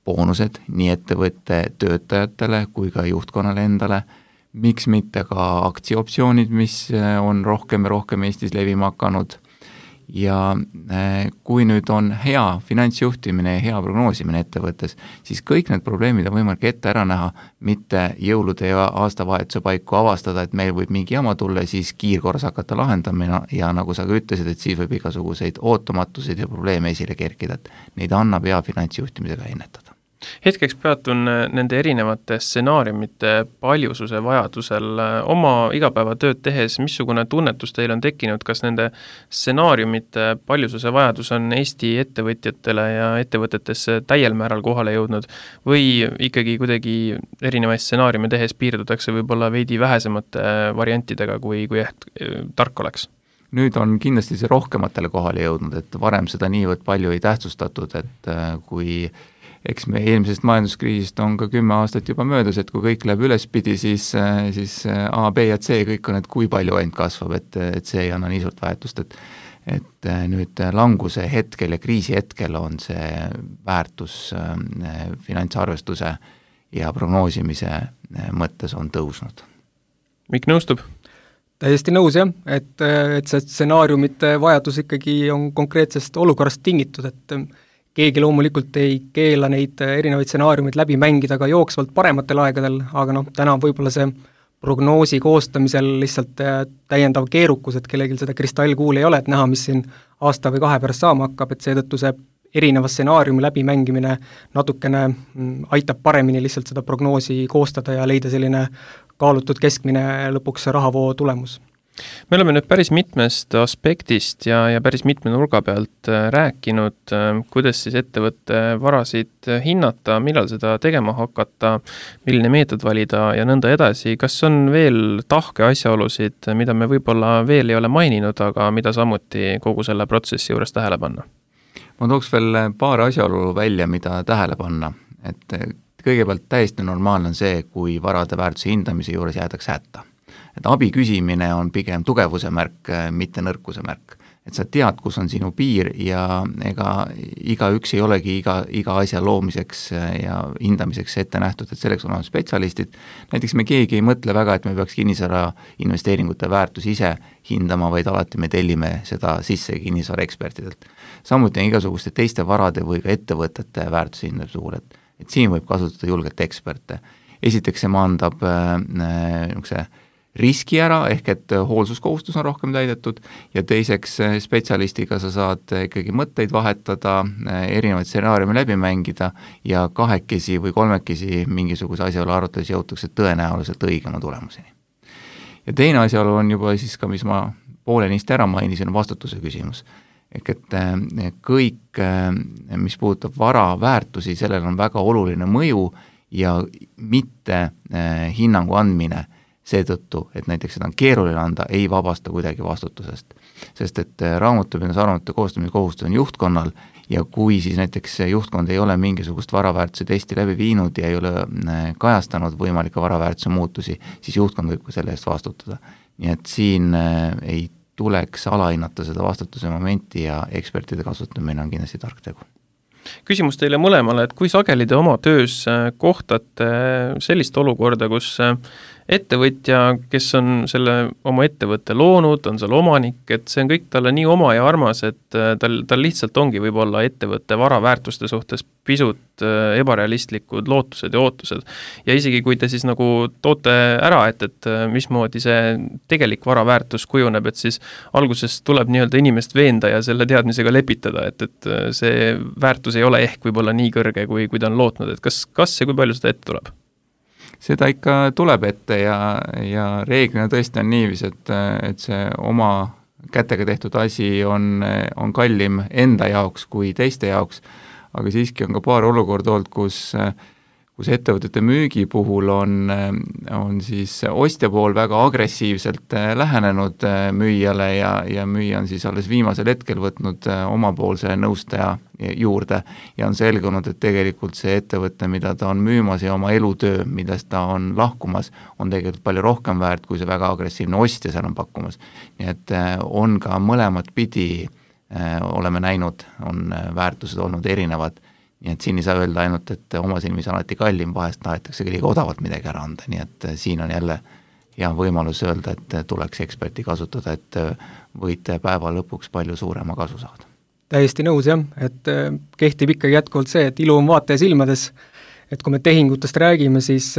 boonused nii ettevõtte töötajatele kui ka juhtkonnale endale, miks mitte ka aktsioptsioonid, mis on rohkem ja rohkem Eestis levima hakanud. Ja kui nüüd on hea finantsjuhtimine ja hea prognoosimine ettevõttes, siis kõik need probleemid on võimalik ette ära näha, mitte jõulude ja aastavahetuse paiku avastada, et meil võib mingi jama tulla, siis kiirkorras hakata lahendamine ja nagu sa ka ütlesid, et siis võib igasuguseid ootamatuseid ja probleeme esile kerkida, et neid annab hea finantsjuhtimisega ennetada. Hetkeks peatun nende erinevate stsenaariumite paljususe vajadusel oma igapäevatööd tehes, missugune tunnetus teil on tekkinud, kas nende stsenaariumite paljususe vajadus on Eesti ettevõtjatele ja ettevõtetesse täiel määral kohale jõudnud või ikkagi kuidagi erinevaid stsenaariume tehes piirdutakse võib-olla veidi vähesemate variantidega, kui tark oleks? Nüüd on kindlasti see rohkematele kohale jõudnud, et varem seda niivõrd palju ei tähtsustatud, et kui eks me eelmisest majanduskriisist on ka 10 aastat juba möödas, et kui kõik läheb ülespidi, siis A, B ja C kõik on, et kui palju ainult kasvab, et see ei anna nii suurt väärtust, et nüüd languse hetkel ja kriisi hetkel on see väärtus finantsarvestuse ja prognoosimise mõttes on tõusnud. Mikk nõustub? Täiesti nõus jah, et see stsenaariumite vajadus ikkagi on konkreetsest olukorrast tingitud, et keegi loomulikult ei keela neid erinevaid stsenaariumid läbi mängida ka jooksvalt parematel aegadel, aga täna võib-olla see prognoosi koostamisel lihtsalt täiendav keerukus, et kellelgi seda kristallkuuli ei ole, et näha, mis siin aasta või 2 pärast saama hakkab, et seetõttu see erineva stsenaariumi läbimängimine natukene aitab paremini lihtsalt seda prognoosi koostada ja leida selline kaalutud keskmine lõpuks rahavoo tulemus. Me oleme nüüd päris mitmest aspektist ja päris mitme nurga pealt rääkinud, kuidas siis ettevõtte varasid hinnata, millal seda tegema hakata, milline meetod valida ja nõnda edasi. Kas on veel tahke asjaolusid, mida me võib-olla veel ei ole maininud, aga mida samuti kogu selle protsessi juures tähele panna? Ma tooks veel paar asjaolu välja, mida tähele panna, et kõigepealt täiesti normaalne on see, kui varade väärtuse hindamise juures jäädakse hätta. Et abi küsimine on pigem tugevuse märk, mitte nõrkuse märk. Et sa tead, kus on sinu piir ja ega igaüks ei olegi iga asja loomiseks ja hindamiseks ette nähtud, et selleks on spetsialistid. Näiteks me keegi ei mõtle väga, et me peaks kinnisvara investeeringute väärtus ise hindama, vaid alati me tellime seda sisse kinnisvara ekspertidelt. Samuti on igasuguste teiste varade või ka ettevõtete väärtuse hindamise puhul, et siin võib kasutada julgelt eksperte. Esiteks see maandab riski ära, ehk et hoolsuskohustus on rohkem täidetud ja teiseks spetsialistiga sa saad ikkagi mõtteid vahetada, erinevaid stsenaariume läbi mängida ja 2 või 3 mingisuguse asjaolu arutades jõutakse tõenäoliselt õigema tulemuseni. Ja teine asjaolu on juba siis ka, mis ma poolenisti ära mainisin, on vastutuse küsimus. Ehk et kõik, mis puudutab vara väärtusi, sellel on väga oluline mõju ja mitte hinnangu andmine seetõttu, et näiteks seda on keeruline anda, ei vabasta kuidagi vastutusest. Sest et raamatupidamisaruannete koostamise kohustus on juhtkonnal ja kui siis näiteks juhtkond ei ole mingisugust varaväärtuse testi läbi viinud ja ei ole kajastanud võimalike varaväärtuse muutusi, siis juhtkond võib ka selle eest vastutada. Nii et siin ei tuleks alahinnata seda vastutuse momenti ja ekspertide kasutamine on kindlasti tark tegu. Küsimus teile mõlemale, et kui sageli te oma töös kohtate sellist olukorda, kus ettevõtja, kes on selle oma ettevõtte loonud, on seal omanik, et see on kõik talle nii oma ja armas, et tal lihtsalt ongi võib-olla ettevõtte varaväärtuste suhtes pisut ebarealistlikud lootused ja ootused. Ja isegi kui te siis nagu toote ära, et mismoodi see tegelik varaväärtus kujuneb, et siis alguses tuleb nii-öelda inimest veenda ja selle teadmisega lepitada, et see väärtus ei ole ehk võib-olla nii kõrge, kui ta on lootnud, et kas ja kui palju seda ette tuleb? Seda ikka tuleb ette ja reeglina tõesti on niivis, et see oma kätega tehtud asi on kallim enda jaoks kui teiste jaoks, aga siiski on ka paar olukorda olnud, kus ettevõtete müügi puhul on siis ostja pool väga agressiivselt lähenenud müüjale ja müüja on siis alles viimasel hetkel võtnud omapoolse nõustaja juurde ja on selgunud, et tegelikult see ettevõte, mida ta on müümas ja oma elutöö, millest ta on lahkumas, on tegelikult palju rohkem väärt, kui see väga agressiivne ostja seal on pakkumas. Nii et on ka mõlemat pidi oleme näinud, on väärtused olnud erinevad. Nii et siin ei saa öelda ainult, et oma silmis on alati kallim, vahest tahetakse liiga odavalt midagi ära anda, nii et siin on jälle hea võimalus öelda, et tuleks eksperti kasutada, et võite päeva lõpuks palju suurema kasu saada. Täiesti nõus jah, et kehtib ikkagi jätkuvalt see, et ilu on vaataja silmades, et kui me tehingutest räägime, siis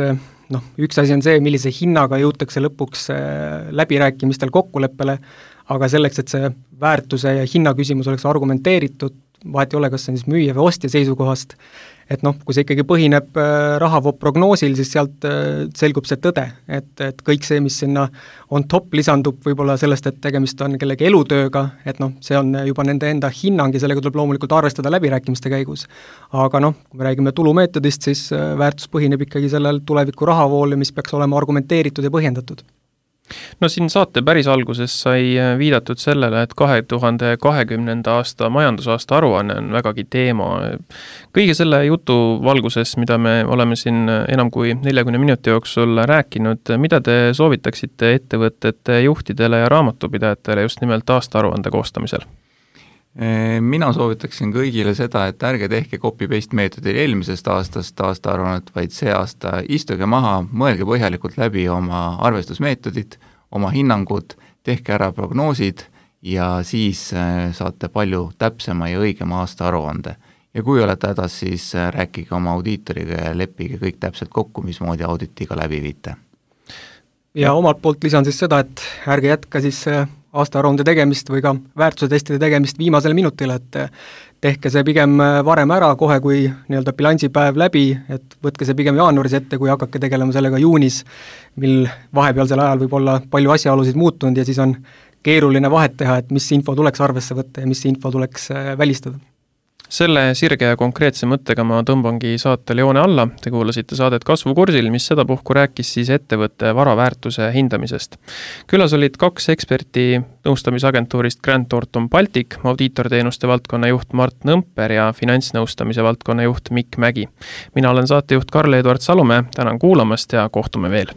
üks asi on see, millise hinnaga jõutakse lõpuks läbirääkimistel kokkuleppele, aga selleks, et see väärtuse ja hinna küsimus oleks argumenteeritud, vahet ei ole, kas see on siis müüja või ostja seisukohast, et kui see ikkagi põhineb rahavoo prognoosil, siis sealt selgub see tõde, et kõik see, mis sinna on top, lisandub võib-olla sellest, et tegemist on kellegi elutööga, et see on juba nende enda hinnang ja sellega tuleb loomulikult arvestada läbirääkimiste käigus. Aga kui me räägime tulumeetodist, siis väärtus põhineb ikkagi sellel tuleviku rahavool, mis peaks olema argumenteeritud ja põhjendatud. No siin saate päris alguses sai viidatud sellele, et 2020. aasta majandusaasta aruanne on vägagi teema. Kõige selle jutu valguses, mida me oleme siin enam kui 40 minuti jooksul rääkinud, mida te soovitaksite ettevõtete juhtidele ja raamatupidajatele just nimelt aasta aruande koostamisel? Mina soovitaksin kõigile seda, et ärge tehke copy-paste meetodil eelmisest aastast aastaaruannet, vaid see aasta istuge maha, mõelge põhjalikult läbi oma arvestusmeetodid, oma hinnangud, tehke ära prognoosid ja siis saate palju täpsema ja õigema aasta aruande. Ja kui olete hädas, siis rääkige oma audiitoriga ja leppige kõik täpselt kokku, mismoodi auditiga läbi viite. Ja omalt poolt lisan siis seda, et ärge jätka siis aastaaruande tegemist või ka väärtusetestide tegemist viimasel minutil, et tehke see pigem varem ära, kohe kui nii-öelda bilansipäev läbi, et võtke see pigem jaanuaris ette, kui hakake tegelema sellega juunis, mil vahepealsel ajal võib olla palju asjaolusid muutunud ja siis on keeruline vahet teha, et mis info tuleks arvesse võtta ja mis info tuleks välistada. Selle sirge ja konkreetse mõttega ma tõmbangi saate joone alla. Te kuulasite saadet Kasvukursil, mis sedapuhku rääkis siis ettevõtte varaväärtuse hindamisest. Külas olid 2 eksperti nõustamisagentuurist Grant Thornton Baltic, audiitorteenuste valdkonna juht Mart Nõmper ja finantsnõustamise valdkonna juht Mikk Mägi. Mina olen saatejuht Karl-Eduard Salumäe, tänan kuulamast ja kohtume veel.